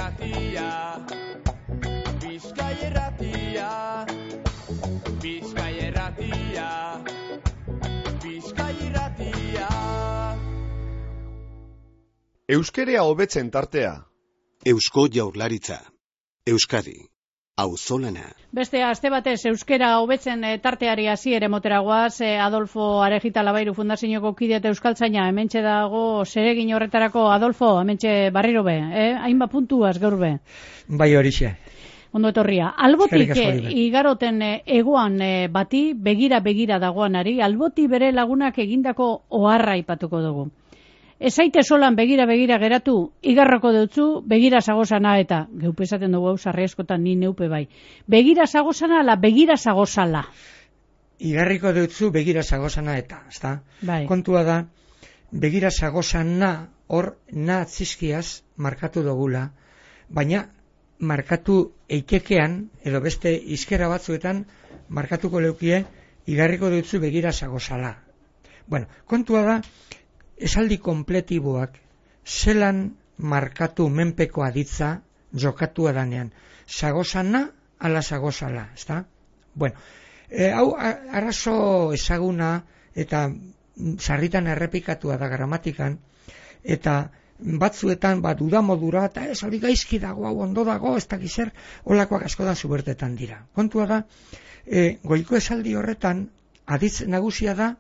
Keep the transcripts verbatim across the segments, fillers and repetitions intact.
irratia, Bizkai irratia, Bizkai irratia, Bizkai irratia. Euskerea hobetzen tartea. Eusko Jaurlaritza. Euskadi. Auzolana. Beste aste batez euskera hobetzen e, tarteari hasiera moteragoaz, e, Adolfo Arejita Labairu Fundazioko kide eta euskaltzaina hementxe dago zeregin horretarako. Adolfo, hementxe barriro be, eh? Hainbat puntuaz gaur be. Bai horixe. Ondo etorria. Albotik e, igaroten e, egoan e, bati, begira-begira dagoanari, alboti bere lagunak egindako oharra aipatuko dugu. Ezaite solan begira-begira geratu, igarrako deutzu, begira zagozana eta, geupe esaten dugu hau sarri askotan ni neupe bai. Begira zagozana ala begira zagozala? Igarriko deutzu begira zagozana eta, ezta? Bai. Kontua da, begira zagozana hor na atzizkiaz markatu dugula, baina markatu eitekean, edo beste izkera batzuetan markatuko leukie, igarriko deutzu begira zagozala. Bueno, kontua da, esaldi kompletiboak zelan markatu menpeko aditza jokatua danean. Zagozana ala zagozala, ezta? Bueno, e, hau arazo ezaguna eta sarritan errepikatua da gramatikan, eta batzuetan bat udamodura eta ez hori gaizki dago, hau ondo dago, ez dakiz zer, holakoak askotan zubertetan dira. Kontua da, e, goiko esaldi horretan aditz nagusia da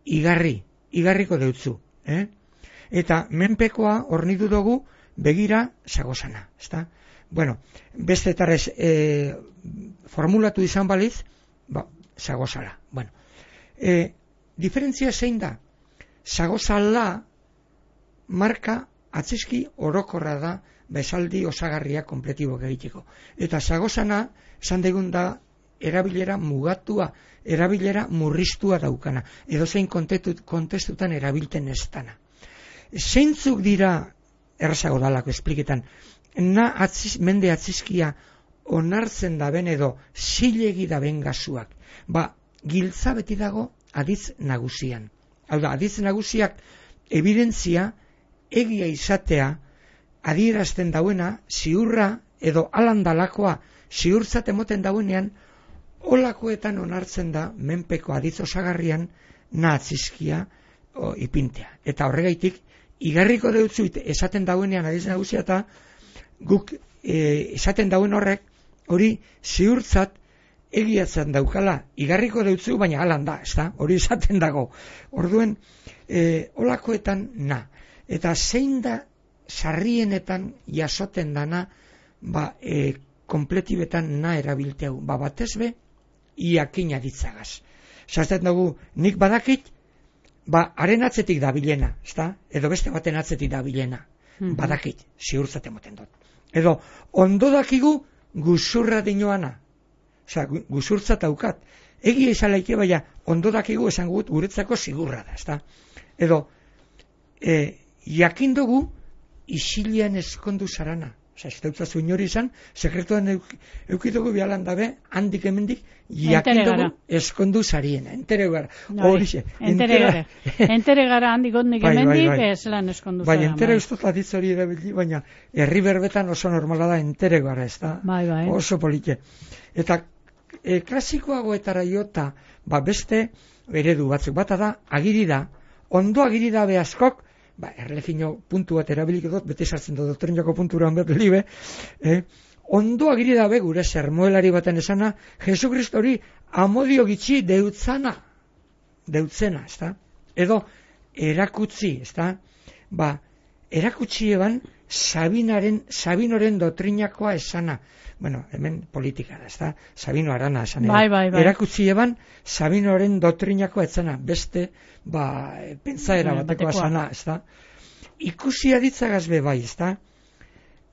igarri. Igarriko deutzu, eh? Eta menpekoa hornitu dugu begira zagozana, ezta? Bueno, beste tarrez e, formulatu izan baliz, ba, zagozala. Bueno, e, diferentzia zein da? Zagozala marka atzizki orokorra da besaldi osagarria kompletibok egiteko. Eta zagozana, esan degun da, erabilera mugatua, erabilera murriztua daukana, edo zein kontestutan erabilten ez dana. Zeintzuk dira, errazago dalako espliketan, na atziz, mende atzizkia onartzen daben edo zilegi daben gazuak. Ba, giltza beti dago aditz nagusian. Hau da, aditz nagusiak evidentzia egia izatea adierazten dauena ziurra edo alandalakoa ziurtzat emoten dauenean olakoetan onartzen da menpeko aditz osagarrian nahatzizkia ipintea. Eta horregaitik, igarriko deutzu esaten dauenean aditz nagusia eta guk e, esaten dauen horrek hori ziurtzat egiatzen daukala. Igarriko deutzu, baina alan da, ez da? Hori esaten dago. Orduen, e, olakoetan na. Eta zein da sarrienetan jasoten dana, ba, e, kompletibetan na erabilteu. Ba, batez be, iakina ditzagaz. Zaten dugu, nik badakit, ba, haren atzetik da bilena, ezta? Edo beste baten atzetik da bilena. Mm-hmm. Badakit, ziurtzaten moten dut. Edo, ondo dakigu guzurra dinoana. Osa, guzurtzat aukat. Egia izalaike, baina, ondo dakigu esan gut guretzako zigurra da, ezta? Edo, e, jakin dugu, isilian eskondu zarana. Osa, ez dautzazu inori izan, sekretuan eukitugu bialan dabe, handik emendik, jakin dugu eskondu zariena. Entere gara. Horixe. Entere gara. Entere gara handik ondik emendik, ez lan eskondu zara. Bai, entere ustot aditz hori erabili, baina herri berbetan oso normala da entere gara, ez da? Bai, bai. Oso polite. Eta e, klasikoagoetara jota, ba beste eredu batzuk bata da, agiri da, ondo agiri da behazkok, ba, erlegino puntu bat erabilik dut, bete sartzen da doktrinako punturan bat libe, eh? Ondo agiri dabe gure sermoelari baten esana, Jesukristo hori amodio gitxi deutzana, deutzena, ezta? Edo, erakutzi, ezta? Ba, erakutsi eban Sabinaren, Sabinoren dotrinakoa esana. Bueno, hemen politika da, ezta? Sabino Arana esan. Bai, bai, bai. Erakutsi eban Sabinoren dotrinakoa esana, beste, ba, pentsaera bateko esana, ezta? Ikusi aditzagaz be bai, ezta?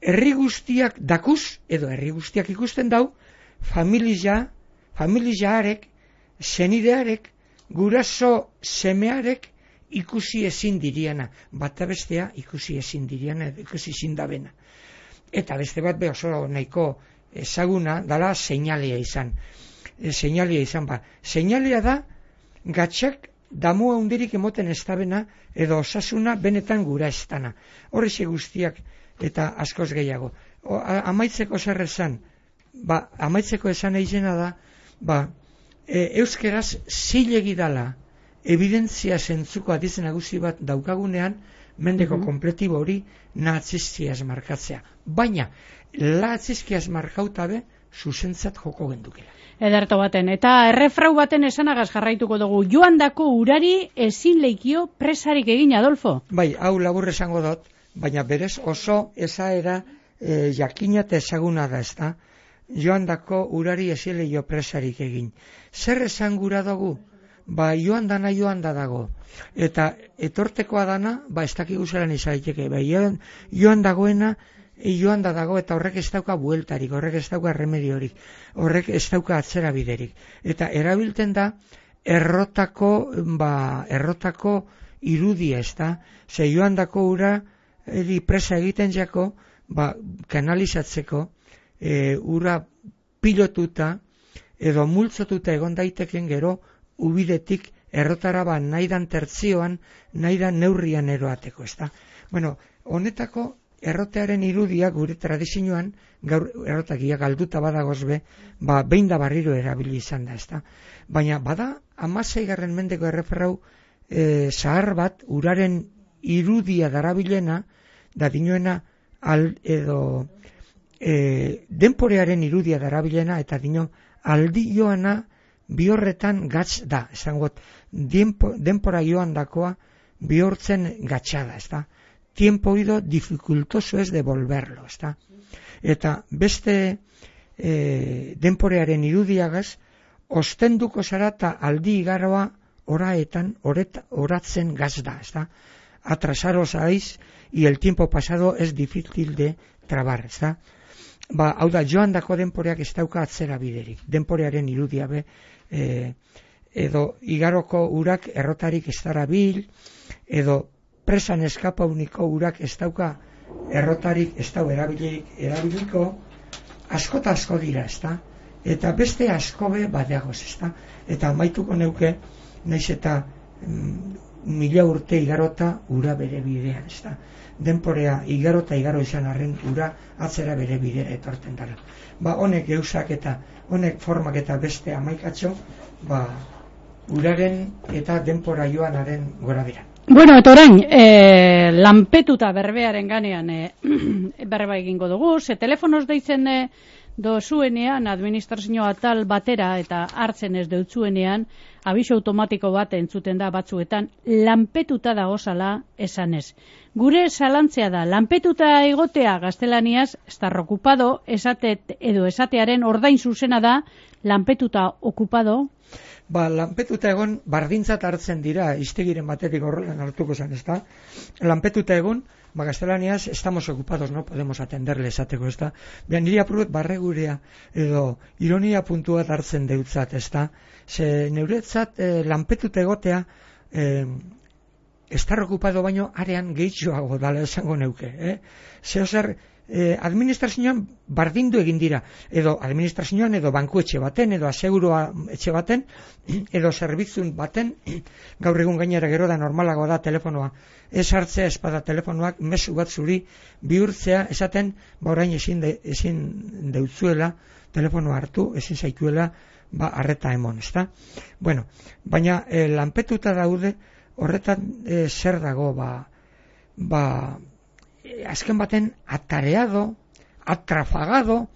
Herri guztiak dakuz, edo herri guztiak ikusten dau, familia, familiaarek, senidearek, guraso semearek ikusi ezin diriana, bata bestea ikusi ezin diriana, ikusi ezin dabena. Eta beste bat be oso nahiko ezaguna dala seinalea izan. E, seinalea izan ba. Seinalea da gatxak damu handirik emoten ez dabena edo osasuna benetan gura ez dana. Horrexe guztiak eta askoz gehiago. O, a, amaitzeko zer esan, ba, amaitzeko esan egizena da, ba, e, euskeraz zilegi dala, evidentzia zentzuko adiz nagusi bat daukagunean, mendeko mm-hmm. kompletibo hori natzizkiaz markatzea. Baina, natzizkiaz markautabe, zuzentzat joko gendukela. Ederto baten, eta errefrau baten esanagaz jarraituko dugu, joan dako urari ezin leikio presarik egin, Adolfo? Bai, hau labur esango dut, baina berez oso esaera e, jakina eta ezaguna da, ezta? Joan dako urari ezin leikio presarik egin. Zer esan gura dugu? Ba, joan dana joan da dago. Eta etortekoa dana, ba, ez dakigu zelan izaiteke. Ba, joan, joan dagoena, joan da dago, eta horrek ez dauka bueltarik, horrek ez dauka remediorik, horrek ez dauka atzera biderik. Eta erabilten da, errotako, ba, errotako irudia, ez da? Ze joan dako ura, eri presa egiten jako, ba, kanalizatzeko, e, ura pilotuta, edo multzotuta egon daiteken gero, ubidetik errotara ba nahidan tertzioan, nahidan neurrian eroateko, ez da? Bueno, honetako errotearen irudia gure tradizioan, gaur errotakia galduta badagoz be, ba, behin da barriro erabili izan da, ez da? Baina bada, amaseigarren mendeko erreferrau e, zahar bat, uraren irudia darabilena, da dinoena al, edo e, denporearen irudia darabilena, eta dino aldi joana bihorretan gatz da, esangot, denpora joan dakoa bihortzen gatxada, ez da? Tiempo oído dificultoso es devolverlo, ez da? Eta beste e, denporearen irudiagaz, ostenduko zara eta aldi igaroa oraetan, oret, oratzen gaz da, ez da? Atrasaros aiz, y el tiempo pasado es difícil de trabar, ez da? Ba, hau da, joan dako denporeak ez dauka atzera biderik. Denporearen irudia be, e, edo igaroko urak errotarik ez dara bil, edo presan eskapa uniko urak ez dauka errotarik ez dau erabilik, erabiliko, asko eta asko dira, ez da? Eta beste asko be badeagoz, ez da? Eta amaituko neuke, naiz eta mm, mila urte igarota ura bere bidean, ez da? Denporea igarota igaro izan arren ura atzera bere bidera etorten dara. Ba, honek eusak eta honek formak eta beste amaikatxo, ba, uraren eta denpora joanaren gora dira. Bueno, eta orain, e, lanpetuta berbearen ganean e, berba egingo dugu, ze telefonoz deitzen e, dozuenean, administrazio atal batera eta hartzen ez deutzuenean, abiso automatiko bat entzuten da batzuetan, lanpetuta dagozala esanez. Gure zalantzea da, lanpetuta egotea gaztelaniaz, estar okupado, esatet, edo esatearen ordain zuzena da, lanpetuta okupado. Ba, lanpetuta egon bardintzat hartzen dira, iztegiren batetik horrelan hartuko zen, ez da? Lanpetuta egon, ba, gaztelaniaz, estamos ocupados, no podemos atenderle esateko, ez da? Behan, niri apurut barregurea, edo ironia puntu bat hartzen deutzat, ez da? Ze neuretzat eh, lanpetuta egotea, eh, estar okupado baino arean gehitxoago dala esango neuke, eh? Zeo zer, eh, administrazioan bardindu egin dira, edo administrazioan edo banku etxe baten, edo asegurua etxe baten, edo zerbitzun baten, gaur egun gainera gero da normalago da telefonoa, ez hartzea espada telefonoak mezu bat zuri bihurtzea esaten, ba orain ezin, de, ezin deutzuela telefonoa hartu, ezin zaituela ba arreta emon, ezta? Bueno, baina eh, lanpetuta daude horretan eh, zer dago, ba, ba eh, azken baten atareado, atrafagado,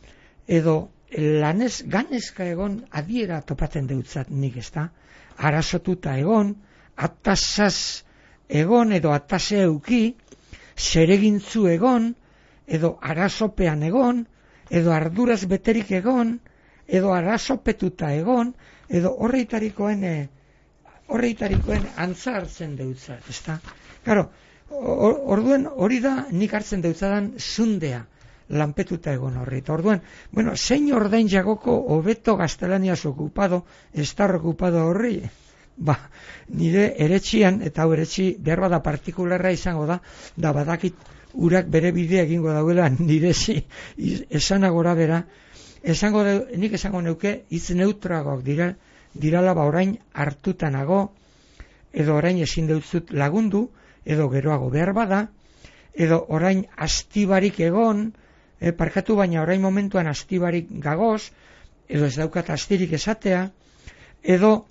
edo lanez ganezka egon adiera topatzen deutzat nik, ezta? Arazotuta egon, atasaz egon, edo atase euki, zeregintzu egon, edo arazopean egon, edo arduraz beterik egon, edo arazopetuta egon, edo horreitarikoen e, horreitarikoen antza hartzen deutzat, ezta? Claro, orduen hori da nik hartzen deutzadan zundea, lanpetuta egon horri. Eta orduan, bueno, zein ordain jagoko hobeto gaztelaniaz okupado, estar okupado horri? Ba, nire eretxian, eta hau eretxi behar bada partikularra izango da, da badakit urak bere bidea egingo dauela nire zi, esanagora bera, esango de, nik esango neuke hitz neutragoak dira, dirala ba orain hartutanago, edo orain ezin deutzut lagundu, edo geroago behar bada, edo orain astibarik egon, e, parkatu baina orain momentuan astibarik gagoz, edo ez daukat astirik esatea, edo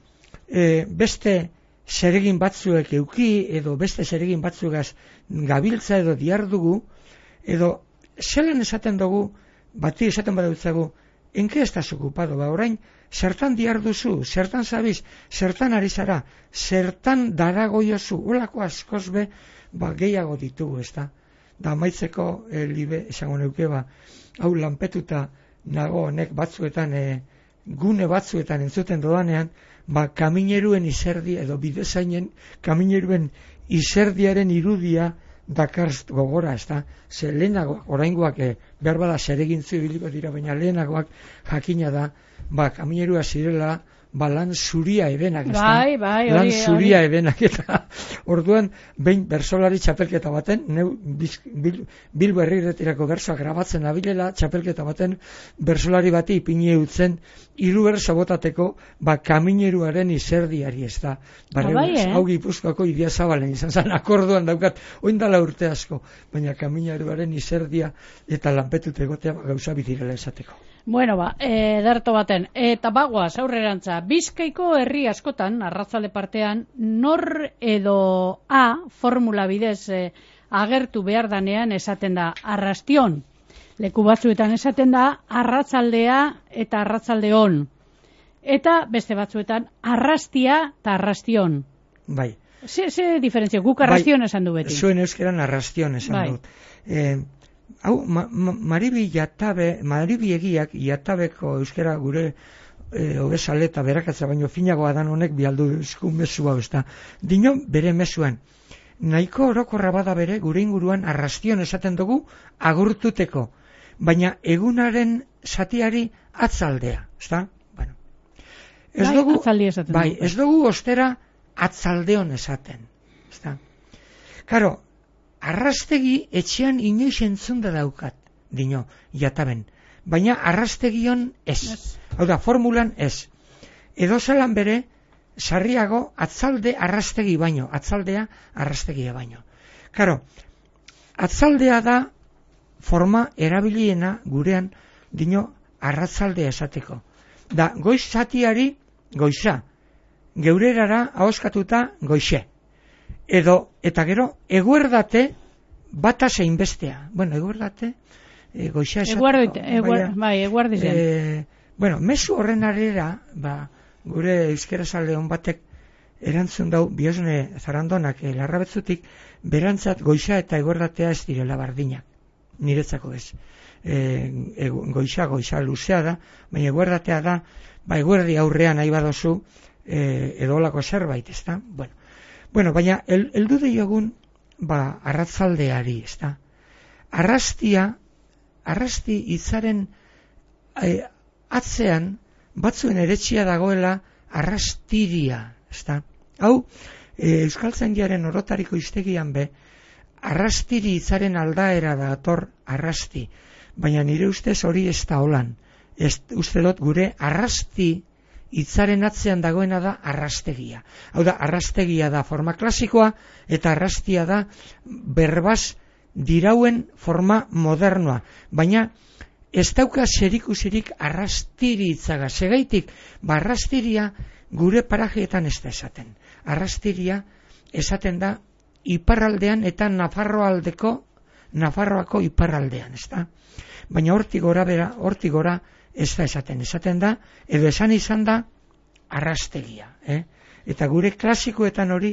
e, beste zeregin batzuek euki, edo beste zeregin batzugaz gabiltza edo diardugu, edo zelan esaten dugu, bati esaten badautzagu, enke estaz okupado, ba orain, zertan diarduzu, zertan zabiz, zertan ari zara, zertan daragoiozu, olako askoz be, ba gehiago ditugu, ez da. Da amaitzeko e, libe, esango neuke, ba, hau lanpetuta nago honek batzuetan, e, gune batzuetan entzuten dodanean, ba kamineruen izerdi, edo bidezainen kamineruen izerdiaren irudia dakarzt gogora, ez da. Ze lehenagoak, oraingoak, e, behar bada zeregintzu ibiliko dira, baina lehenagoak jakina da, ba kaminerua zirela, ba lan zuria ebenak, ez da. Bai, bai, lan hori, zuria hori. ebenak, eta orduan, behin bersolari txapelketa baten, neu biz, bil, Bilbo herriretirako bersoak grabatzen abilela, txapelketa baten, bersolari bati ipini utzen, hiru berso botateko, ba kamineruaren izerdiari, ez da. Barre, bai, eh? hau Gipuzkoako Idia Zabalen izan zen, akorduan daukat, oindala urte asko, baina kamineruaren izerdia eta lanpetut egotea ba, gauza bidirela esateko. Bueno, ba, e, darto baten, eta bagoaz, aurrerantza, Bizkaiko herri askotan, arratzalde partean, nor edo A, formula bidez e, agertu behar danean esaten da arrastion. Leku batzuetan esaten da arratzaldea eta arratzaldeon. Eta beste batzuetan arrastia eta arrastion. Bai. Ze, ze diferentzia, guk arrastion bai, esan du beti. Zuen euskeran arrastion esan bai. dut. Eh, hau, ma, ma, maribi jatabe, maribi egiak jatabeko euskera gure e, obesale eta berakatza baino finagoa dan honek bialdu esku mesu hau, ez da. Dino bere mesuan, nahiko orokorra bada bere gure inguruan arrastion esaten dugu agurtuteko, baina egunaren zatiari atzaldea, ez da? Bueno. Ez bai, dugu, atzaldi esaten bai, dugu. ez dugu ostera atzaldeon esaten, ez da? Karo, arrastegi etxean inoiz entzunda daukat, dino, jataben. Baina arrastegion ez. Yes. Hau da, formulan ez. Edo zelan bere, sarriago atzalde arrastegi baino, atzaldea arrastegia baino. Karo, atzaldea da forma erabiliena gurean, dino, arratzaldea esateko. Da, goiz zatiari goiza, geurerara ahoskatuta goixe. Edo, eta gero, eguerdate bata zein bestea. Bueno, eguerdate, e, goixa esateko. Eguardite, eguard, bai, eguardizen. E, bueno, mezu horren arera, ba, gure euskerazalde hon batek erantzun dau, biosne zarandonak e, larrabetzutik, berantzat goixa eta eguerdatea ez direla bardinak. Niretzako ez. E, e, goixa, goixa luzea da, baina eguerdatea da, ba, eguerdi aurrean nahi badozu, e, edo olako zerbait, ez da? Bueno. Bueno, baina, el, eldu diogun, ba, arratzaldeari, ez da. Arrastia, arrasti hitzaren e, atzean, batzuen eretxia dagoela arrastiria, ez da. Hau, e, Euskaltzaindiaren orotariko hiztegian be, arrastiri hitzaren aldaera da ator arrasti, baina nire ustez hori ez da holan. Ez, uste dut gure arrasti hitzaren atzean dagoena da arrastegia. Hau da, arrastegia da forma klasikoa eta arrastia da berbaz dirauen forma modernoa. Baina ez dauka zerikusirik arrastiri hitzaga. Segaitik, ba arrastiria gure parajeetan ez da esaten. Arrastiria esaten da iparraldean eta Nafarroaldeko, Nafarroako iparraldean, ez da? Baina hortik gora bera, hortik gora ez da esaten, esaten da, edo esan izan da, arrastegia. Eh? Eta gure klasikoetan hori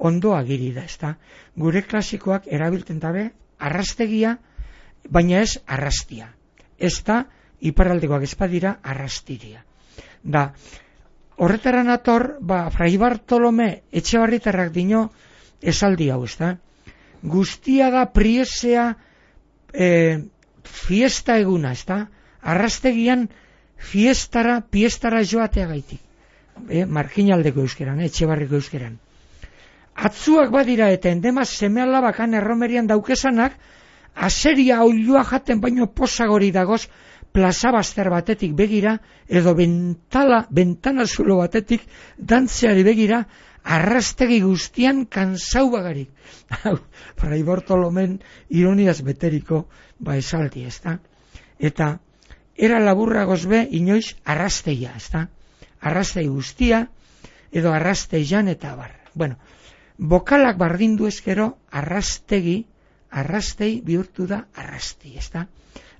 ondo agiri da, ez da. Gure klasikoak erabiltzen dabe, arrastegia, baina ez arrastia. Ez da, iparraldekoak ez badira, arrastiria. Da, horretara nator, ba, Fray Bartolome Etxebarritarrak dino esaldi hau, ez da. Guztia da priesea e, fiesta eguna, ez da. Arrastegian fiestara, piestara joatea gaitik. E, marginaldeko euskeran, Etxebarriko euskeran. Atzuak badira eta endemaz semeala bakan erromerian daukesanak, aseria oilua jaten baino posagori dagoz, plaza bazter batetik begira, edo bentala, bentana zulo batetik, dantzeari begira, arrastegi guztian kansau bagarik. Fray Bartolomen ironiaz beteriko ba esaldi, ezta? Eta era laburra gozbe inoiz arrasteia, ezta? Arrastei guztia edo arrasteian eta bar. Bueno, bokalak bardindu ezkero arrastegi, arrastei bihurtu da arrasti, ezta?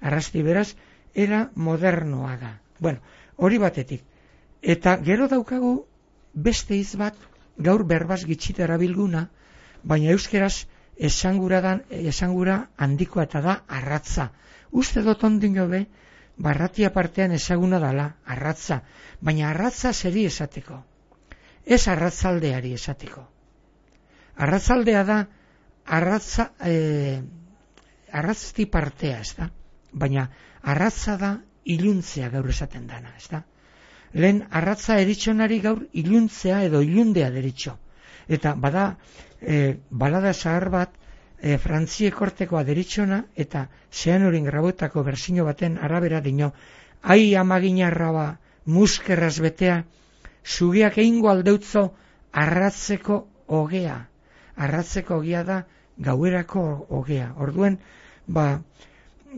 Arrasti beraz, era modernoa da. Bueno, hori batetik. Eta gero daukagu beste hitz bat, gaur berbaz gitxita erabilguna, baina euskeraz esangura, dan, esangura handikoa eta da arratza. Uste dut ondino be, barratia partean ezaguna dala, arratza. Baina arratza zeri esateko. Ez arratzaldeari esateko. Arratzaldea da, arratza, eh, arratzti partea, ez da? Baina arratza da iluntzea gaur esaten dana, ez da? Lehen arratza eritxonari gaur iluntzea edo ilundea deritxo. Eta bada, e, balada zahar bat, e, Frantziek kortekoa deritxona, eta zean horin grabotako berzino baten arabera dino, ai amaginarra ba, muskerraz betea, zugiak egingo aldeutzo arratzeko ogea. Arratzeko ogea da gauerako ogea. Orduen, ba,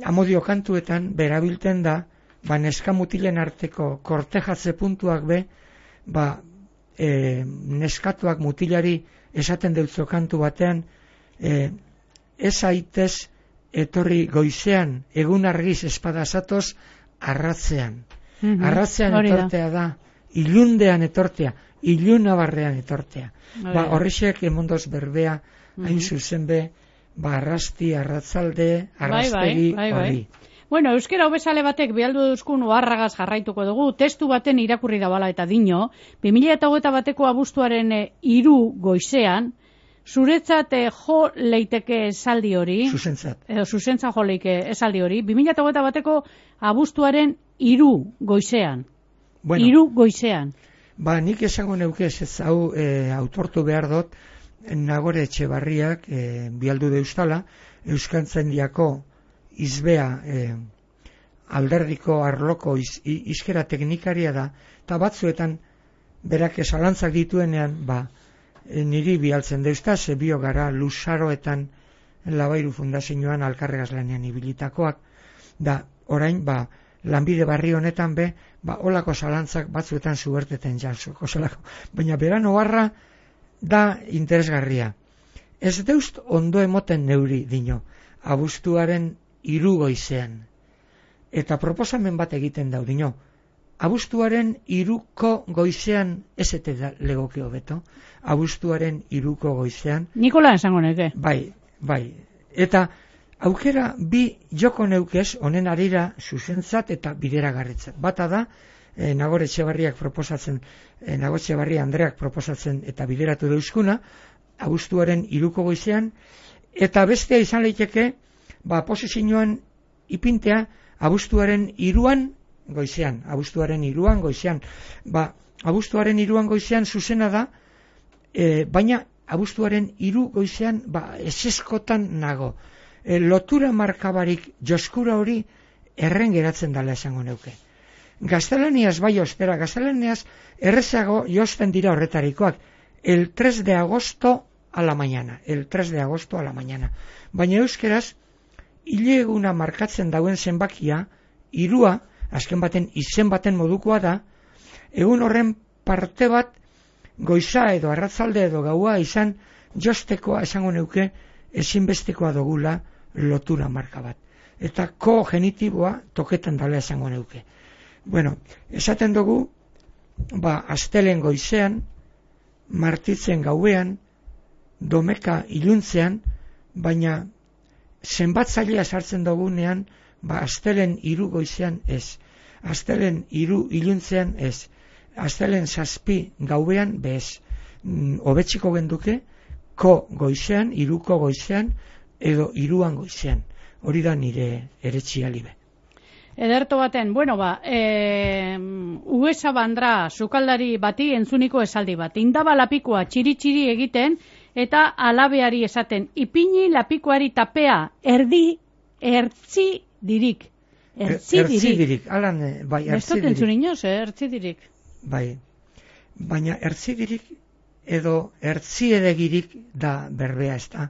amodio kantuetan berabilten da, ba, neska mutilen arteko kortejatze puntuak be, ba, e, neskatuak mutilari esaten deutzo kantu batean, e, ez aitez etorri goizean, egun argiz espada zatoz, arratzean. Mm-hmm. Arratzean etortea da, ilundean etortea, ilunabarrean etortea. Oh, ba, horrexek emondoz berbea, mm-hmm. hain zuzen be, ba, arrasti, arratzalde, arrastegi, bai, bai, bai, bai. Bueno, euskera hobezale batek bialdu duzkun oharragaz jarraituko dugu, testu baten irakurri dabala eta dino, bi mila hogeita bateko abuztuaren hiru goizean, zuretzat eh, jo leiteke esaldi hori, zuzentzat, edo zuzentzat jo leike esaldi hori, bi mila hogeita bateko abuztuaren hiru goizean, bueno, hiru goizean. Ba, nik esango neuke ez hau e, autortu behar dut, Nagore Etxebarriak e, bialdu deustala, Euskaltzaindiako izbea e, alderdiko arloko iz, izkera teknikaria da, eta batzuetan berak esalantzak dituenean, ba, e, niri bialtzen deuzta, ze bio gara Luzaroetan Labairu Fundazioan alkarregaz lanean ibilitakoak, da orain, ba, lanbide barri honetan be, ba, olako zalantzak batzuetan zuberteten jantzoko zelako, baina beran oharra da interesgarria. Ez deust ondo emoten neuri dino, abuztuaren hiru goizean. Eta proposamen bat egiten dau dino, abuztuaren hiruko goizean ez ete da legoke hobeto, abuztuaren hiruko goizean. Nikola esango neke. Bai, bai. Eta aukera bi joko neukez honen arira zuzentzat eta bideragarritzat. Bata da, e, Nagore Etxebarriak proposatzen, e, Nagore Etxebarria Andreak proposatzen eta bideratu deuskuna, abuztuaren hiruko goizean, eta bestea izan leiteke, ba, posizioan ipintea abuztuaren hiruan goizean, abuztuaren hiruan goizean, ba, abuztuaren hiruan goizean zuzena da, e, baina abuztuaren hiru goizean, ba, eseskotan nago. E, lotura markabarik joskura hori erren geratzen dela esango neuke. Gaztelaniaz bai ostera, gaztelaniaz errezago josten dira horretarikoak, el tres de agosto a la mañana, el tres de agosto a la mañana. Baina euskeraz, hile eguna markatzen dauen zenbakia, hirua, azken baten izen baten modukoa da, egun horren parte bat goiza edo arratzalde edo gaua izan jostekoa esango neuke ezinbestekoa dogula lotura marka bat. Eta ko genitiboa toketan dala esango neuke. Bueno, esaten dugu, ba, astelen goizean, martitzen gauean, domeka iluntzean, baina zenbatzailea sartzen dugunean, ba, astelen hiru goizean ez. Astelen hiru iluntzean ez. Astelen zazpi gauean bez. Hobetxiko genduke, ko goizean, hiruko goizean, edo hiruan goizean. Hori da nire eretxialibe. Ederto baten, bueno ba, e, uesa bandra sukaldari bati entzuniko esaldi bat. Indaba lapikoa txiri-txiri egiten, eta alabeari esaten, ipini lapikoari tapea, erdi, ertzi dirik. Ertzi dirik. Ertzi dirik, alan, bai, ertzi dirik. Bestoten zuen inoz, eh, ertzi dirik. Bai, baina ertzi dirik edo ertziedegirik da berbea, ez da.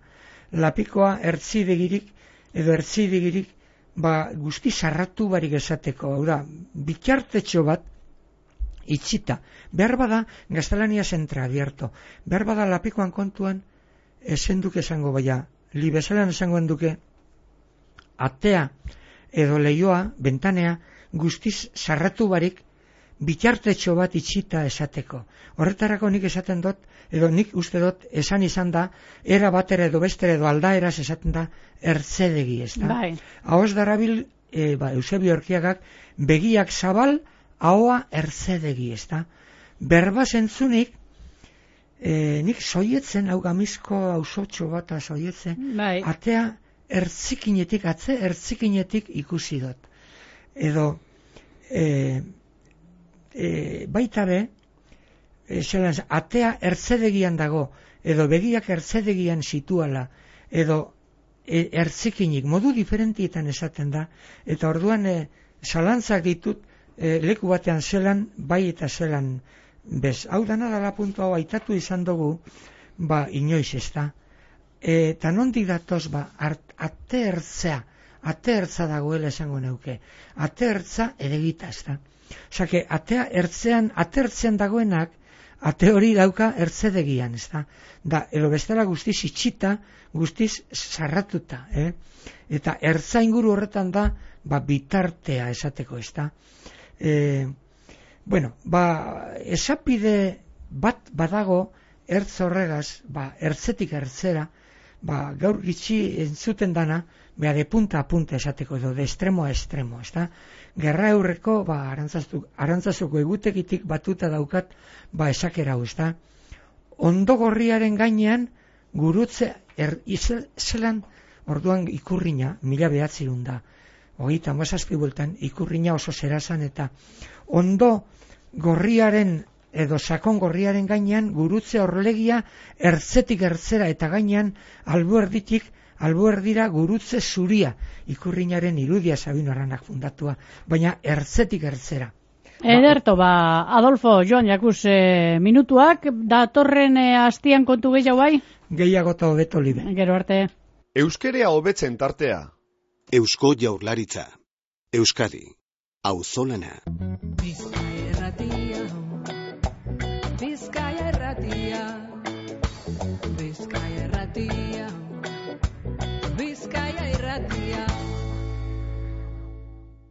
Lapikoa ertzidegirik edo ertzidegirik ba, guzti sarratu barik esateko, hau da, bitartetxo bat itxita. Behar bada, gaztelania zentra abierto. Behar bada lapikoan kontuan, esen duke esango baina, li bezalan esango duke, atea edo leioa, bentanea, guztiz sarratu barik, bitartetxo bat itxita esateko. Horretarako nik esaten dut, edo nik uste dut esan izan da, era batera edo bestere edo aldaeraz esaten da, ertzedegi, ez da? Bai. Ahoz darabil, e, ba, Eusebio Erkiagak, begiak zabal, ahoa ertzedegi, ez da? Berba zentzunik, e, nik soietzen, hau gamizko hausotxo bat soietzen, Bai. atea ertzikinetik, atze ertzikinetik ikusi dut. Edo, e, e, baita be, e, zelan, atea ertzedegian dago, edo begiak ertzedegian situala, edo e, ertzikinik, modu diferentietan esaten da, eta orduan e, zalantzak ditut, e, leku batean zelan, bai eta zelan bez. Hau dana dala puntu hau aitatu izan dugu, ba, inoiz ez da. E, eta nondik datoz, ba, art, ate ertzea, ate ertza dagoela esango neuke. Ate ertza edegita, ez da. Osake, atea ertzean, ate ertzean dagoenak, ate hori dauka ertzedegian, ez da. Da, edo bestela guztiz itxita, guztiz sarratuta, eh? Eta ertza inguru horretan da, ba, bitartea esateko, ez da. E, bueno, ba, esapide bat badago, ertz horregaz, ba, ertzetik ertzera, ba, gaur gitxi entzuten dana, beha de punta a punta esateko, edo de estremo a estremo, ez da? Gerra eurreko, ba, arantzazuko egutekitik batuta daukat, ba, esakera hau, ez da? Ondo gorriaren gainean, gurutze, er, izel, zelan, orduan ikurrina, mila behatzirun da, hogeita mazazpi bultan, ikurrina oso zerazan, eta ondo gorriaren, edo sakon gorriaren gainean, gurutze orlegia ertzetik ertzera, eta gainean, albuerditik, albuerdira gurutze zuria, ikurrinaren irudia Sabino Arranak fundatua, baina ertzetik ertzera. Ederto, ba, Adolfo, Joan, jakuz, e, minutuak, datorren e, astian kontu gehiago bai? Gehiago eta hobeto libe. Gero arte. Euskerea hobetzen tartea. Eusko Jaurlaritza. Euskadi. Auzolana.